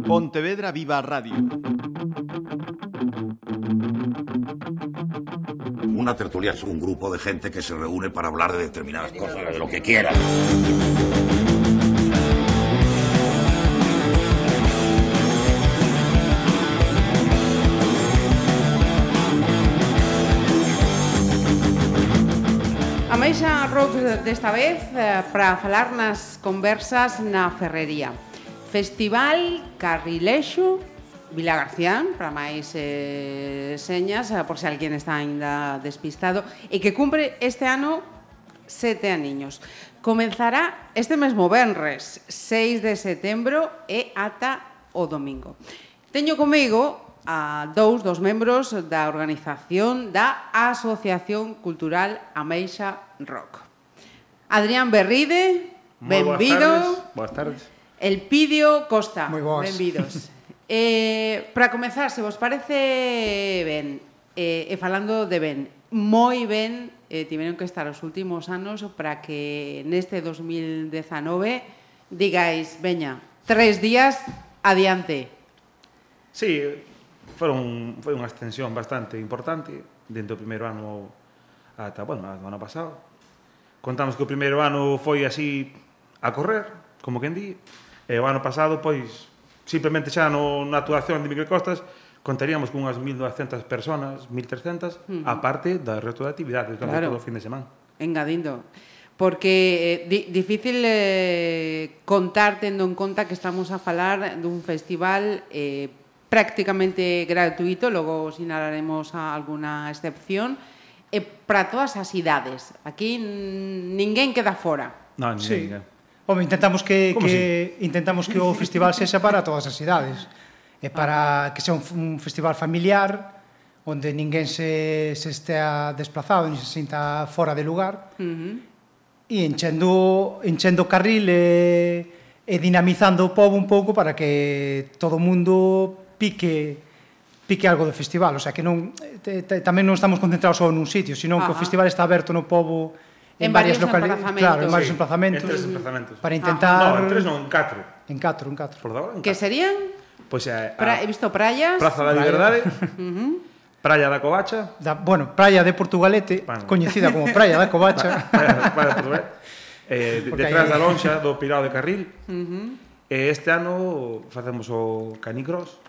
Pontevedra Viva Radio. Una tertulia es un grupo de gente que se reúne para hablar de determinadas cosas, de lo que quiera. Ameixa Rock desta vez para falar nas conversas na Ferrería. Festival Carrilexo Vilagarcía, para máis señas, por se alguén está aínda despistado, e que cumpre este ano 7 aniños. Comenzará este mesmo venres, 6 de setembro, e ata o domingo. Teño comigo a dous dos membros da organización da Asociación Cultural Ameixa Rock. Adrián Berride, benvido. Boas tardes. Elpidio Costa, moi boas. benvidos. Para comezar, se vos parece ben, e falando de ben, moi ben, tiveron que estar os últimos anos para que neste 2019 digáis, veña, 3 días, adiante. Sí, foi unha extensión bastante importante dentro do primeiro ano ata, bueno, do ano pasado. Contamos que o primeiro ano foi así a correr, como quen di, e o ano pasado, pois, simplemente xa na actuación de Microcostas contaríamos con unhas 1.900 personas, 1.300, aparte do resto de actividades, claro, todo o fin de semana. Engadindo. Porque difícil contar tendo en conta que estamos a falar dun festival prácticamente gratuito, logo sinalaremos alguna excepción, para todas as idades. Aquí ninguén queda fora. Non, Sí. ninguén. Home, intentamos que o festival sexa para todas as idades. E para que sea un festival familiar, onde ninguén se estea desplazado, ni se sinta fora de lugar. E enchendo carril e dinamizando o pobo un pouco para que todo o mundo pique algo do festival. O sea, que non tamén non estamos concentrados só nun sitio, sino que o festival está aberto no pobo en varias localidades, claro, en varios emplazamentos. En 3 emplazamentos. Para intentar... No, en 3 non, en 4. En 4. Por agora, en 4. Que serían? Pois He visto praias. Praza da Liberdade, Praia da Covacha. Bueno, Praia de Portugalete, coñecida como Praia da Covacha. Praia de Portugalete. Detrás da lonxa do Pirao de Carril. Este ano facemos o Canicross.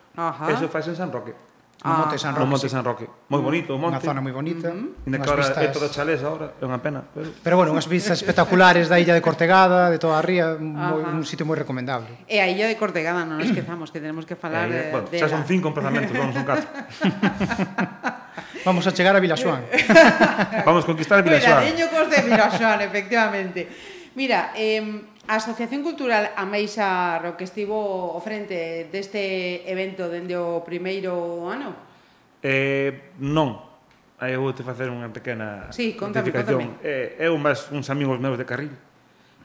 Eso faz en San Roque. No Monte San Roque. No Monte San Roque. Moi bonito o monte. Unha zona moi bonita. Ainda que ahora é todo chalés agora, é unha pena. Pero bueno, unhas vistas espectaculares da illa de Cortegada, de toda a ría, un sitio moi recomendable. E a illa de Cortegada non nos esquezamos, que tenemos que falar Bueno, de xa son 5 emplazamentos, non son 4. Vamos a chegar a Vilaxoán. Vamos conquistar Vilaxoán. Cuidadiño cos de Vilaxoán, efectivamente. Mira, a Asociación Cultural Ameixa Rock que estivo ao frente deste evento dende o primeiro ano? Non. Aí vou te facer unha pequena contame. Eu máis uns amigos meus de Carril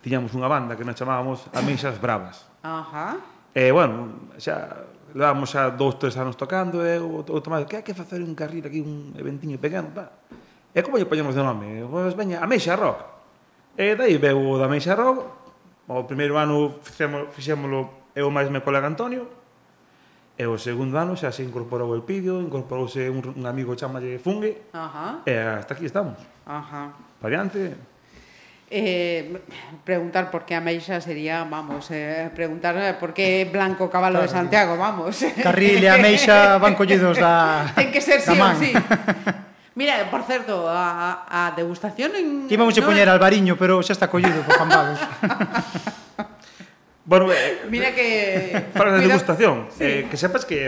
tiñamos unha banda que nos chamábamos Ameixas Bravas. Bueno, xa levábamos xa 2-3 anos tocando e o Tomás, que hai que facer un Carril aquí, un eventiño pequeno, pa. E como lle poñemos de nome? Pois veña, Ameixa Rock. E daí veu o da Ameixa Rock. O primeiro ano fixémolo eu máis meu colega Antonio. E o segundo ano xa se incorporou o Elpidio, incorporouse un amigo chamalle Fungue. E hasta aquí estamos. Para adiante. Preguntar por que Ameixa sería, vamos, preguntar por que Blanco Cabalo de Santiago, vamos. Carril e Ameixa van collidos da ten que ser sí ou man. sí. Mira, por certo, a degustación en... Íbamos a poñer Albariño, pero xa está collido por Cambados. Bueno, mira que... Para a degustación, que sepas que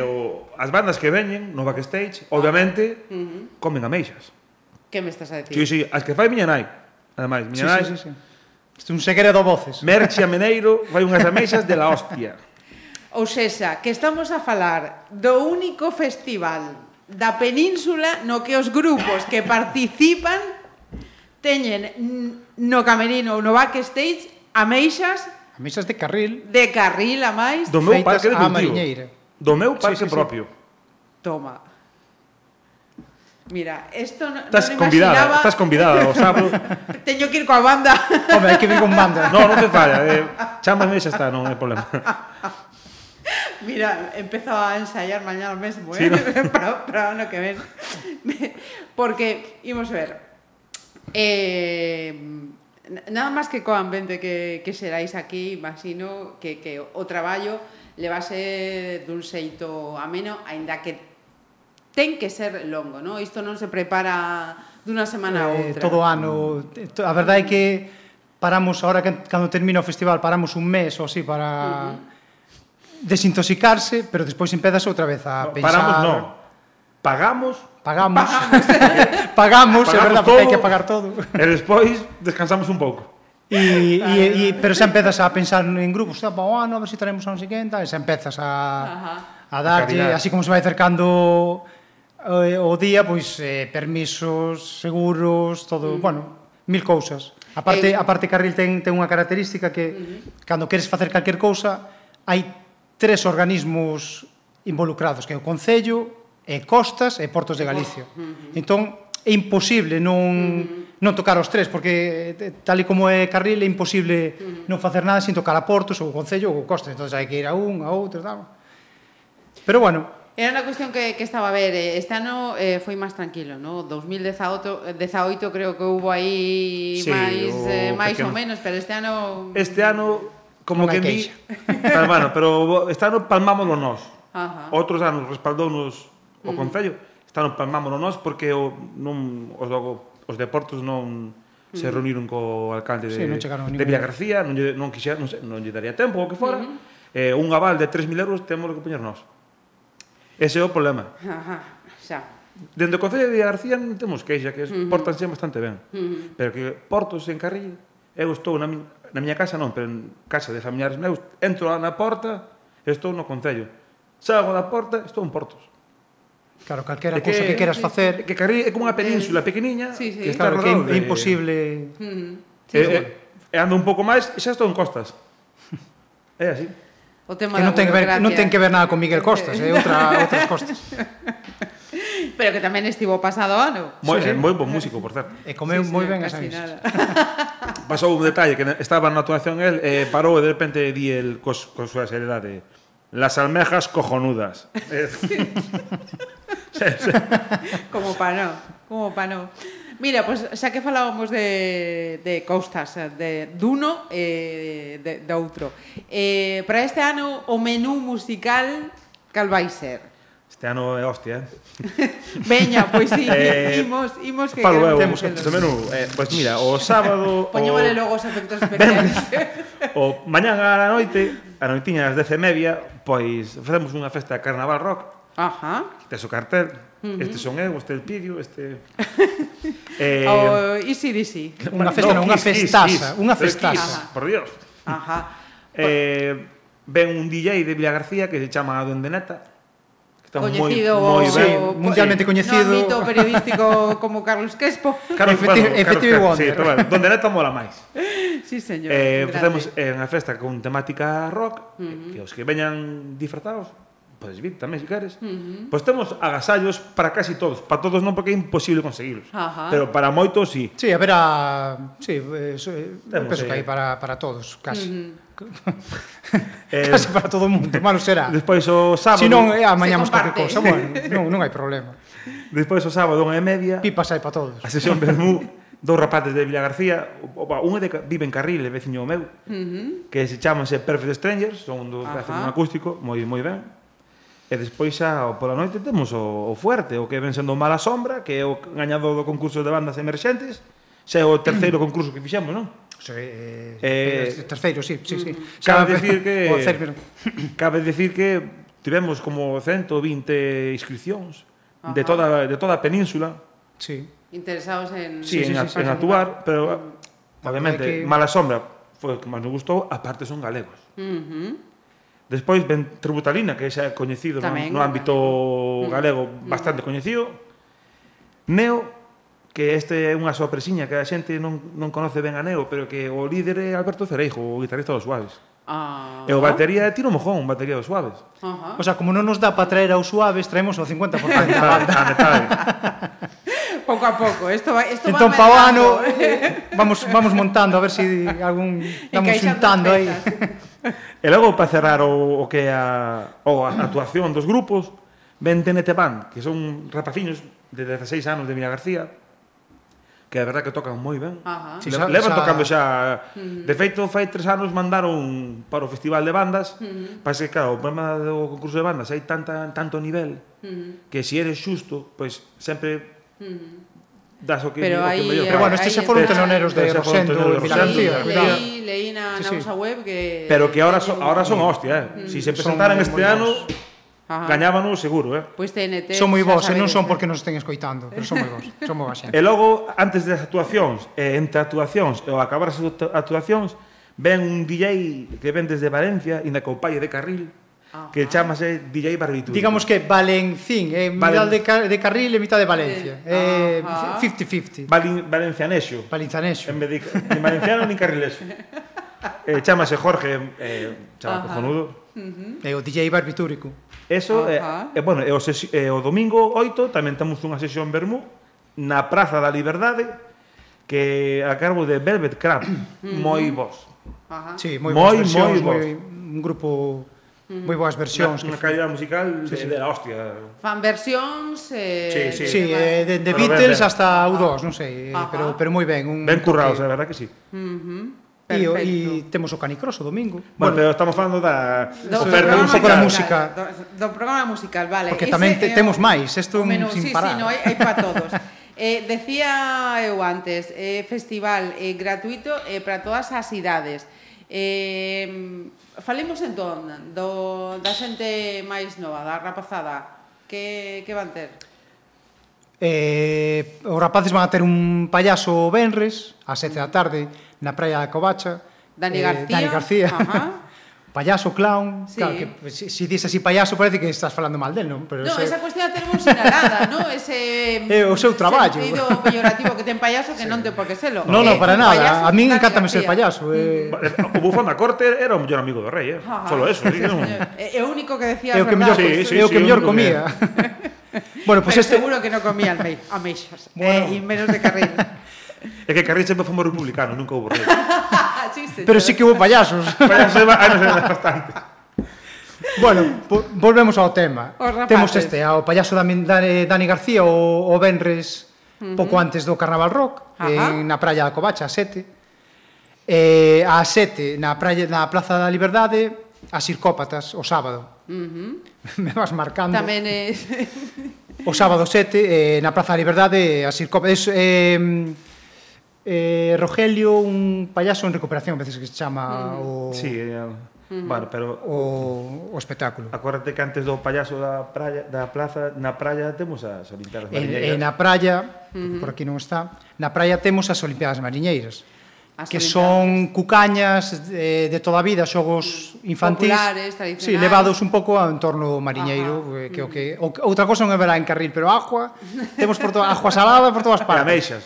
as bandas que veñen no backstage, obviamente, comen ameixas. Que me estás a decir? Sí, as que fai miña nai. Ademais, miña nai... Sí. Isto é un segredo voces. Merche a Meneiro fai unhas ameixas de la hostia. Ou sexa, que estamos a falar do único festival da península no que os grupos que participan teñen no camerino ou no backstage ameixas de Carril a máis do meu parque de cultivo, mariñeira. do meu parque propio. Toma. Mira, esto non imaginaba... Estás convidada o sábado. Teño que ir coa banda. Home, hai que vir con banda. Non te falla. Chámame e xa está, non hai problema. Mira, empezo a ensayar mañana mesmo, sí, ¿no? para o ano que ven. Porque, imos ver, nada máis que co ambiente que xerais aquí, imagino que o traballo levase dun xeito ameno, aínda que ten que ser longo, non? Isto non se prepara dunha semana a outra. Todo ano. A verdade é que paramos, ahora cando termina o festival, paramos un mes ou así para desintoxicarse, pero despois empezas outra vez a pensar... Paramos non. Pagamos, é verdade, porque hai que pagar todo. E despois descansamos un pouco. Pero xa empezas a pensar en grupos, para o ano, a ver se traemos a non sei quen, e xa empezas a darlle, así como se vai acercando o día, pois permisos, seguros, todo, bueno, mil cousas. A parte Carril ten unha característica que cando queres facer calquer cousa hai 3 organismos involucrados, que é o Concello, Costas e Portos de Galicia. Entón, é imposible non tocar os 3, porque tal e como é Carril, é imposible non facer nada sin tocar a Portos, ou o Concello, ou o Costas. Entón, hai que ir a un, a outro, tal. Pero, bueno... Era unha cuestión que estaba a ver, este ano foi máis tranquilo, ¿no? 2018 creo que hubo aí máis ou menos, pero este ano... Este ano, como que di... Bueno, pero este ano palmámoslo nós. Outros anos respaldounos o Concello, este ano palmámoslo nós porque os deportos non se reuniron co alcalde de Villagarcía, non lle daría tempo ou que fora, un aval de 3.000 euros temos que poñer nós. Ese é o problema. Xa. Dende o Concello de Villagarcía non temos queixa, que portanse bastante ben. Pero que Portos en Carril, eu estou na miña casa non, pero en casa de familiares meus, entro na porta, estou no Concello. Salgo da porta, estou en Portos. Claro, calquera cousa que queras facer... Que Carril é como unha península pequeniña que está rodada. Claro, que é imposible... E ando un pouco máis e xa estou en Costas. É así. Que non ten que ver nada con Miguel Costas, é outras Costas. Pero que tamén estivo pasado ano. Moi bon músico, por certo. E comeu moi ben as avisas. Pasou un detalle, que estaba na actuación el, parou e de repente di el con súa seriedade: las almejas cojonudas. Como pa non. Mira, pues xa que falábamos de Costas, duno e de outro. Para este ano, o menú musical, cal vai ser? Este ano é hostia, Veña, pois sí, imos que falo eu, temos este menú. Pois mira, o sábado... Poñémosle logo os efectos especiales. O mañán a noitiña ás 10:30, pois facemos unha festa de carnaval rock. Este é o cartel, este son eu, este é el Pidio, este... Easy Dizzy. Unha festaza. Por Dios. Ven un DJ de Villagarcía que se chama Duende Neta. Coñecido, mundialmente coñecido. No ámbito periodístico como Carlos Crespo. Efectivo Wonder. Sí, pero bueno, Duende Neta mola máis. Sí, señor. Facemos unha festa con temática rock, que os que veñan disfrazados, podes vir tamén, se queres. Pois temos agasallos para casi todos. Para todos non, porque é imposible conseguirlos. Pero para moitos, sí. Sí, haberá... Sí, penso que hai para todos, casi. Casi para todo o mundo, malo será. Despois o sábado... Se non, amañamos calquer cousa. Bueno, non hai problema. Despois o sábado, 1:30... Pipas hai para todos. A sesión Bermú, dous rapaces de Villagarcía, un vive en Carril, é veciño meu, que se chamanse Perfect Strangers, son un acústico, moi ben. E despois xa pola noite temos o fuerte, o que ven sendo Mala Sombra, que é o gañador do concurso de bandas emerxentes. Xa é o terceiro concurso que fixemos, non? Terceiro, sí. Cabe dicir que tivemos como 120 inscripcións de toda a península. Sí. Interesados en actuar, pero obviamente Mala Sombra foi o que máis nos gustou, aparte son galegos. Despois ven Tributalina, que xa é coñecido no ámbito galego, bastante coñecido. Neo, que este é unha sorpresiña que a xente non conoce ben a Neo, pero que o líder é Alberto Cereijo, o guitarrista dos Suaves. E o batería é Tino Mojón, batería dos Suaves. O sea, como non nos dá para traer aos Suaves, traemos o 50% da banda. Pouco a pouco, isto va entón, pa o ano, vamos montando, a ver se algún... Vamos juntando aí. E logo, para cerrar o que é a actuación dos grupos, ven TNT Band, que son rapaciños de 16 anos de Vila García, que é verdad que tocan moi ben. Levan tocando xa... De feito, fai 3 anos mandaron para o Festival de Bandas, parece que, claro, o problema do concurso de bandas hai tanto nivel que se eres xusto, pois sempre das o que mellor. Pero bueno, estes xa foron teloneros de Rosendo e Vila García. Leí na nosa web que... Pero que ahora son hostia, Si se presentaran este ano... Gañábanos seguro, Pois TNT... Son moi bons, e non son porque nos estén escoitando, pero son moi bons, son moi xente. E logo, antes das actuacións, entre actuacións e ao acabar as actuacións, ven un DJ que ven desde Valencia, inda co pai de Carril, que chamase DJ Barbitúrico. Digamos que Valencín, mitad de Carril e mitad de Valencia. 50-50. Valencianexo. Valencianexo. En vez de valenciano ni carrilexo. Chamase Jorge, chama cojonudo. E o DJ Barbitúrico. Eso, bueno, o domingo 8 tamén temos unha sesión vermú na Praza da Liberdade que a cargo de Velvet Crab, moi bons. Sí, moi boas versións, un grupo moi boas versións. Unha calidad musical de la hostia. Fan versións... Sí, de Beatles hasta U2, non sei, pero moi ben. Ben currados, a verdad que sí. E temos o Canicross o domingo. Bueno, pero estamos falando da oferta un pouco da música. Do programa musical, vale. Porque tamén temos máis, isto sin parar. Sí, hai para todos. Decía eu antes, festival gratuito para todas as idades. Falemos entón da xente máis nova, da rapazada. Que van ter? Os rapaces van a ter un payaso venres ás 7 da tarde na praia da Covacha. Dani García. Payaso, clown. Claro, que se dis así payaso parece que estás falando mal del, non? No, esa cuestión a termos sinalada, non? Ese... É o seu traballo. Sentido peyorativo que ten payaso que non ten por que selo. Non, para nada. A min encántame ser payaso. O bufón da corte era o mellor amigo do rei, Solo eso. É o único que decía a verdade. É o que mellor comía. Bueno, pues seguro que non comía ameixas, e menos de Carril. É que Carril sempre foi moi republicano, nunca houve rei. Pero sí que houve payasos. Payasos hai bastante. Bueno, volvemos ao tema. Temos ao payaso Dani García o venres pouco antes do Carnaval Rock, na praia da Covacha, a 7. A 7, na Praza da Liberdade, as Circópatas, o sábado. Me vas marcando. Tamén é... O sábado 7, na Praza da Liberdade, as Circópatas... Rogelio, un payaso en recuperación, a veces que se chama o... Sí, bueno, pero... O espectáculo. Acuérdate que antes do payaso da plaza, na praia temos as Olimpiadas Mariñeiras. Na praia, por aquí non está, na praia temos as Olimpiadas Mariñeiras, que son cucañas de toda a vida, xogos infantis. Populares, tradicionais. Sí, levados un pouco ao entorno mariñeiro, que outra cosa non é verá en Carril, pero agua, temos agua salada por todas partes. E ameixas.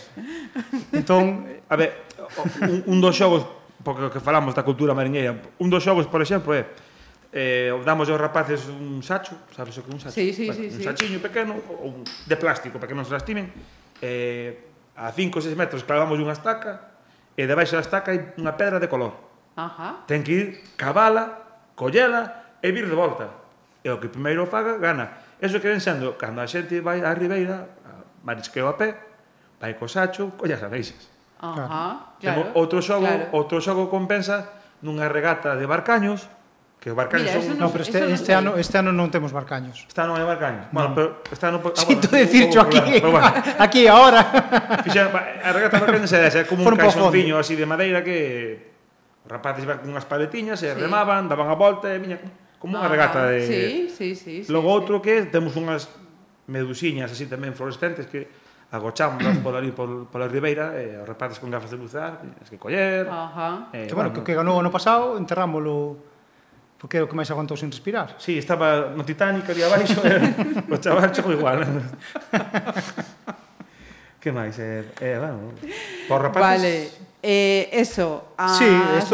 Entón, a ver, un dos xogos, porque que falamos da cultura mariñeira, un dos xogos, por exemplo, damos aos rapaces un sacho, sabes o que é un sacho? Sí. Un sachiño pequeno, de plástico, para que non se lastimen, a 5 ou 6 metros clavamos unha estaca, e debaixo da estaca hai unha pedra de color. Ten que ir, cavala, collela e vir de volta. E o que primeiro faga, gana. Eso que ven sendo, cando a xente vai á ribeira, marisqueo a pé, vai co sacho, colle as ameixas. Claro. Outro xogo compensa nunha regata de barcaños, que os barcaños son... No, pero este ano non temos barcaños. Este ano non hai barcaños? Bueno, pero este ano... Sinto decircho aquí ahora. A regata de barcaños é como un caixonciño así de madeira que os rapaces iban con unhas paletiñas e remaban, daban a volta e viña como unha regata de... Sí. Logo outro que temos unhas medusiñas así tamén fluorescentes que agochamos pola ribeira e os rapaces con gafas de bucear, tens que coller... Que bueno, que ganou ano pasado, enterrámoslo... Porque é o que máis aguantou sin respirar. Sí, estaba no Titanic ali abaixo, o chaval chegou igual. Que máis? Bueno, por rapaces... Eso, as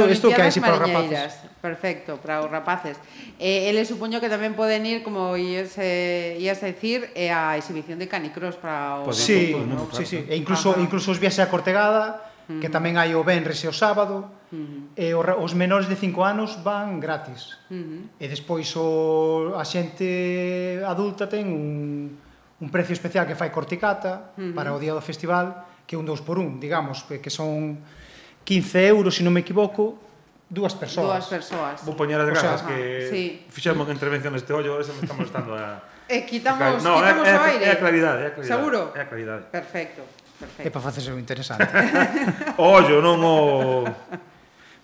Olimpiadas Mariñeiras. Perfecto, para os rapaces. Ele supoño que tamén poden ir, como ías a decir, a exhibición de canicross para o... Sí, e incluso os viaxes a Cortegada, que tamén hai o venres e o sábado, e os menores de 5 anos van gratis. E despois a xente adulta ten un precio especial que fai Corticata para o día do festival, que é un 2x1, digamos, que son 15 euros, se non me equivoco, dúas persoas. Vou poñer as grazas que fixemos unha intervención neste ollo, ahora se me está molestando a... Quitamos o aire. É a claridade. Seguro? É a claridade. Perfecto. É para facerse o interesante. O ollo, non o...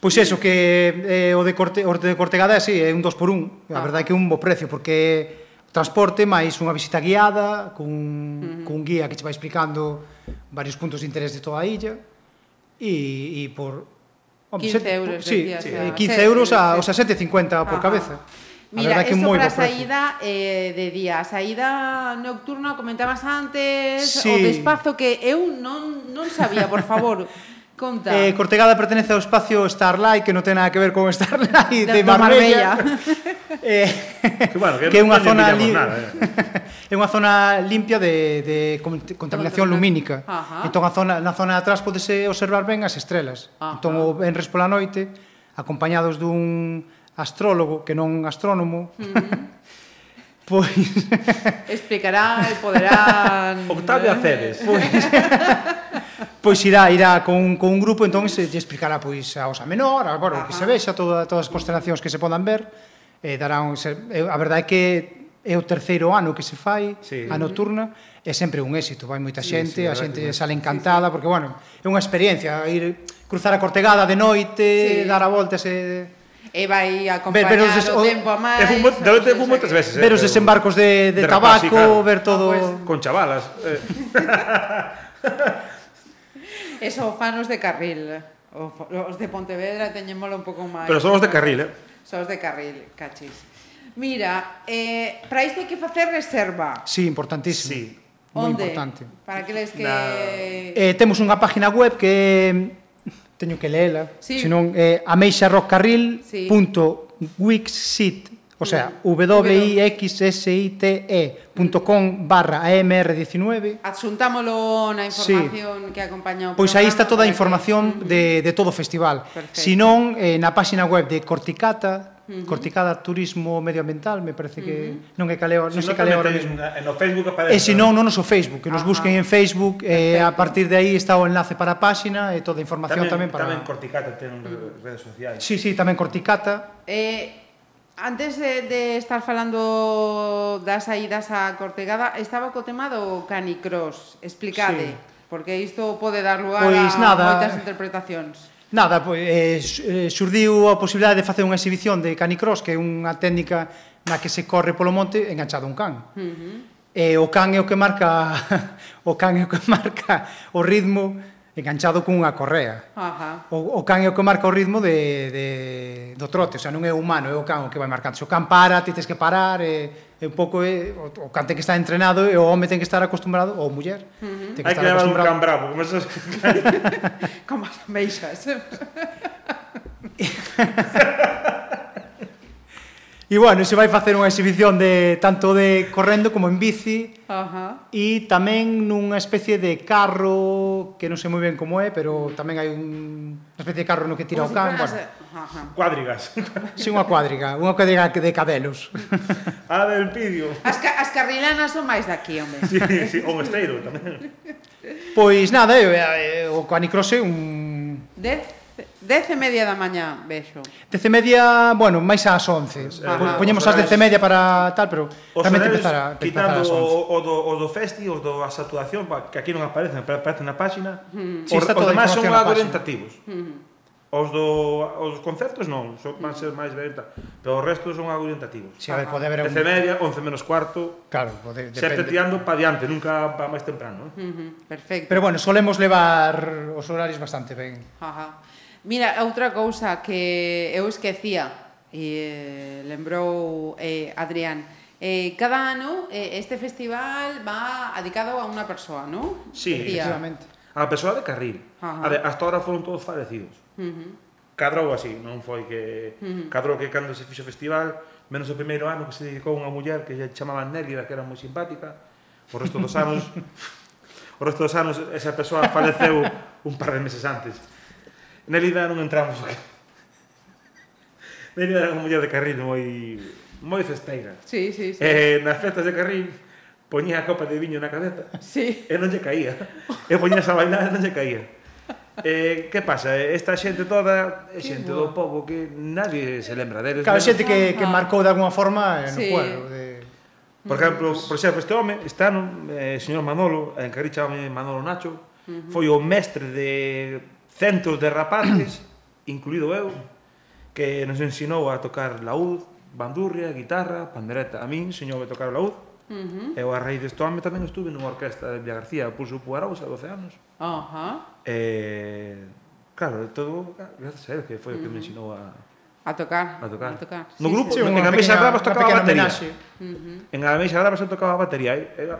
Pois eso, que o de Cortegada é un 2x1. A verdade é que é un bo precio, porque transporte máis unha visita guiada con un guía que che vai explicando varios puntos de interés de toda a illa e por 15 euros, decías. 15 euros, o sea, 7,50 por cabeza. Mira, isto para a saída de día. A saída nocturna, comentabas antes, o despazo que eu non sabía, por favor, conta. Cortegada pertenece ao espacio Starlight, que non ten nada que ver con Starlight de Marbella. Que é unha zona é unha zona limpia de contaminación lumínica. Entón na zona de atrás podese observar ben as estrelas. Entón o venres pola noite, acompañados dun astrólogo que non astrónomo, pois explicará e poderán Octavio Aceves. Pois irá con un grupo, entón se explicará pois a Osa Menor, que se vexa todas as constelacións que se podan ver. A verdade é que é o terceiro ano que se fai a nocturna, é sempre un éxito, vai moita xente, a xente sale encantada, porque, bueno, é unha experiencia, ir cruzar a Cortegada de noite, dar a volta e vai acompañar o tempo a máis. De fumo moitas veces. Ver os desembarcos de tabaco, ver todo... Con chavalas. Eso, fanos de carril. Os de Pontevedra teñémolo un pouco máis. Pero son os de carril, Son os de carril, cachis. Mira, para isto hai que facer reserva. Sí, importantísimo. Moi importante. Para aqueles que... Temos unha página web que teño que leela, senón ameixarrockcarril.wixsite, o sea, wixsite.com/amr19. Adxuntámolo na información que acompaña o programa. Pois aí está toda a información de todo o festival. Senón, na página web de Corticata, Corticada Turismo Medioambiental, me parece que non é caleo, non sei caleo ahora mesmo. No Facebook aparece. E senón non no Facebook, que nos busquen en Facebook, a partir de aí está o enlace para a páxina e toda a información tamén para... Tamén Corticata ten redes sociais. Sí, tamén Corticata. Antes de estar falando das saídas a Cortegada, estaba co tema do canicross. Explicade, porque isto pode dar lugar a moitas interpretacións. Nada, xurdiu a posibilidade de facer unha exhibición de canicross, que é unha técnica na que se corre polo monte enganchado a un can. E o can é o que marca o ritmo enganchado cunha correa. O can é o que marca o ritmo do trote, o sea, non é o humano, é o can o que vai marcando. Se o can para, ti tens que parar, é un pouco o can ten que estar entrenado e o home ten que estar acostumbrado, ou muller. Hai que levar un can bravo, como esos... Como as meixas. E, bueno, se vai facer unha exhibición tanto de correndo como en bici, e tamén nunha especie de carro, que non sei moi ben como é, pero tamén hai unha especie de carro no que tira o can. Cuadrigas. Si, unha cuadriga de cadelos. Del Pidio. As carrilanas son máis daqui, home. Sí, o esteiro tamén. Pois nada, o canicross é un... 10:30 da mañá, vexo. 10:30, bueno, máis ás 11. Poñemos ás 10:30 para tal, pero tamén te empezar ás 11. Quitando o do festi, os das actuacións, que aquí non aparecen na página. Os demais son algo orientativos. Os concertos non, van ser máis orientativos, pero os restos son algo orientativos. 10:30, 11:45. Claro, sempre tirando para diante, nunca para máis temprano. Perfecto. Pero bueno, solemos levar os horarios bastante ben. Mira, outra cousa que eu esquecía, e lembrou Adrián, cada ano este festival va dedicado a unha persoa, non? Sí, efectivamente. a persoa de Carril. Hasta ahora foron todos falecidos. Cadrou así, non foi que... Cadrou que cando se fixo o festival, menos o primeiro ano que se dedicou unha muller que lle chamaban Nélida, que era moi simpática, o resto dos anos esa persoa faleceu un par de meses antes. Nélida non entramos aquí. Nélida era unha muller de Carril moi festeira. Sí. Nas festas de Carril poñía a copa de viño na cabeza e non lle caía. E poñías a bailar e non lle caía. Que pasa? Esta xente toda é xente do pobo que nadie se lembra deles. Claro, xente que marcou de alguma forma no pueblo. Por exemplo, este home, este ano, señor Manolo, en Carril chamame Manolo Nacho, foi o mestre de centos de rapaces, incluído eu, que nos ensinou a tocar laúd, bandurria, guitarra, pandereta. A min ensinou a tocar o laúd. Eu a raíz deste home tamén estuve nunha orquesta de Villa García, Pulso Puarouse, a 12 anos. Claro, todo gracias a él, que foi o que me ensinou a tocar. No grupo, en Ameixa Bravas tocaba a batería. En Ameixa Bravas eu tocaba a batería,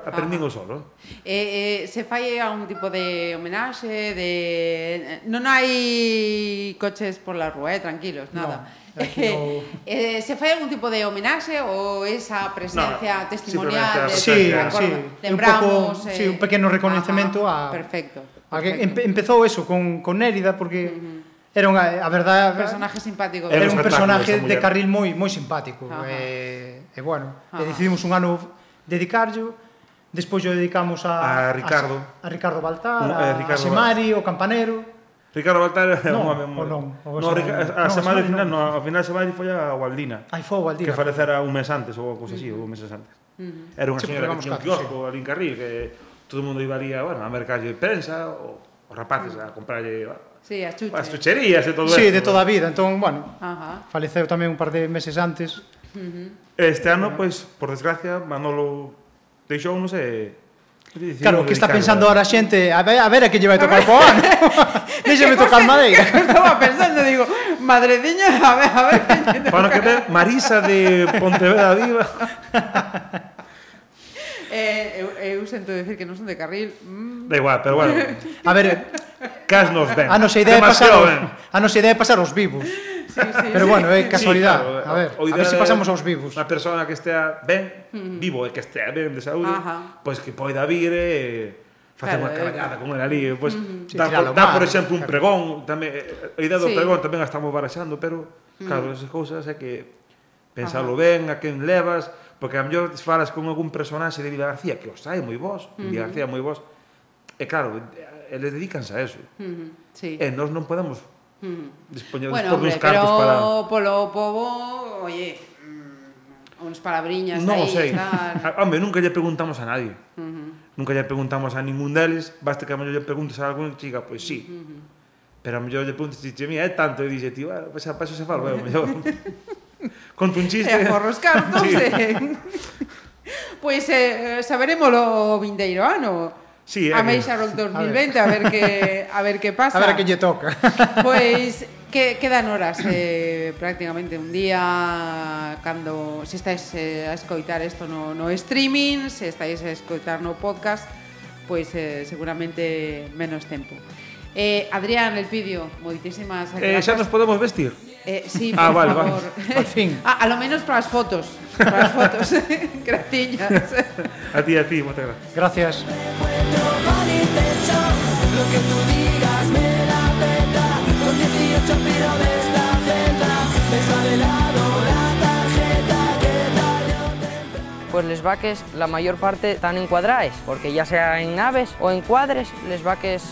aprendín o solo. Se fai algún tipo de homenaxe, non hai coches por la rúa, tranquilos, nada. Se fai algún tipo de homenaxe ou esa presencia testimonial? Sí, un pequeno reconhecemento a... Perfecto. Empezou eso con Nérida porque era a verdade... Un personaje simpático. Era un personaje de Carril moi simpático. E bueno, decidimos un ano dedicarlo. Despois o dedicamos a Ricardo Baltar, a Semari, o campanero. Ricardo Baltar é un home... A Semari, ao final Semari foi a Gualdina. Foi a Gualdina. Que falecera un mes antes, ou cousa así, ou meses antes. Era unha señora que tiña un kiosco ali en Carril, que todo o mundo iba ali a mercalle de prensa, os rapaces a comprarlle as chucherías e todo eso. Sí, de toda a vida. Entón, bueno, faleceu tamén un par de meses antes. Este ano, pois, por desgracia, Manolo deixounos e... Claro, que está pensando ahora a xente, a ver a que lle vai tocar po ano. Déxame tocar madeira. Estaba pensando, digo, madreciña, a ver. Para que ver, Marisa de Pontevedra Viva. Eu sento decir que non son de Carril. Da igual, pero bueno. A ver, cas nos ven. A nosa idea é pasar os vivos. Pero bueno, é casualidade. A ver se pasamos aos vivos. Unha persona que estea ben, vivo e que estea ben de saúde, pois que poida vir e facer unha caballada con ele ali, pois dar, por exemplo, un pregón, tamén a idea do pregón tamén a estamos baraxando, pero claro, esas cousas é que pensalo ben, a quen levas, porque a mellor falas con algún personaxe de Villa García que os hai moi vos, Villa García moi vos, e claro, eles dedícanse a eso. E nós non podemos dispoñer dos cartos para... Bueno, pero polo pobo, oye, uns palabriñas aí. Non o sei. Hombre, nunca lle preguntamos a nadie. Nunca lle preguntamos a ningún deles, basta que a mellor lle preguntes a algún chica, pois sí. Pero a mellor lle preguntes, mira, é tanto, e dixe, tío, pois a paso se falo, a mellor... Conto un chiste. E aforros cartos, Pois saberémolo o vindeiro ano. Sí, Ameixa Rock 2020, a ver que pasa. A ver que lle toca. Pois quedan horas prácticamente un día cando se estáis a escoitar isto no streaming, se estáis a escoitar no podcast, pois seguramente menos tempo. Adrián Elpidio, moitísimas gracias. Xa nos podemos vestir? Sí, por favor. Al fin. A lo menos para as fotos. Gratiñas. A ti, moitas gracias. Lo que tú digas me la peta. Con 18 piro de esta celda. Deja de lado la tarjeta que tarde o temprano. Pues les vaques la mayor parte están encuadrades, porque ya sea en naves o en cuadres, les vaques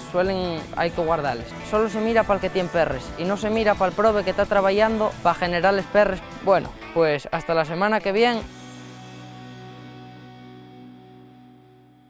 hay que guardarles. Solo se mira para el que tiene perres y no se mira para el prove que está trabajando para generarles perres. Bueno, pues hasta la semana que viene.